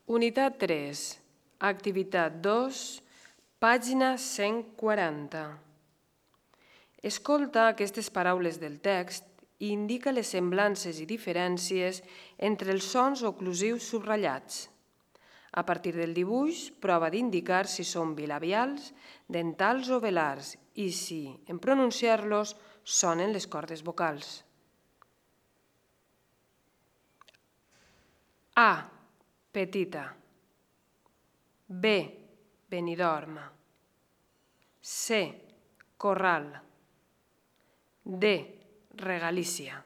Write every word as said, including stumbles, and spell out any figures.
Unitat tres, activitat dos, pàgina cent quaranta. Escolta aquestes paraules del text i indica les semblances i diferències entre els sons oclusius subratllats. A partir del dibuix, prova d'indicar si són bilabials, dentals o velars i si, en pronunciar-los, sonen les cordes vocals. A. Petita. B. Benidorm. C. Corral. D. Regalícia.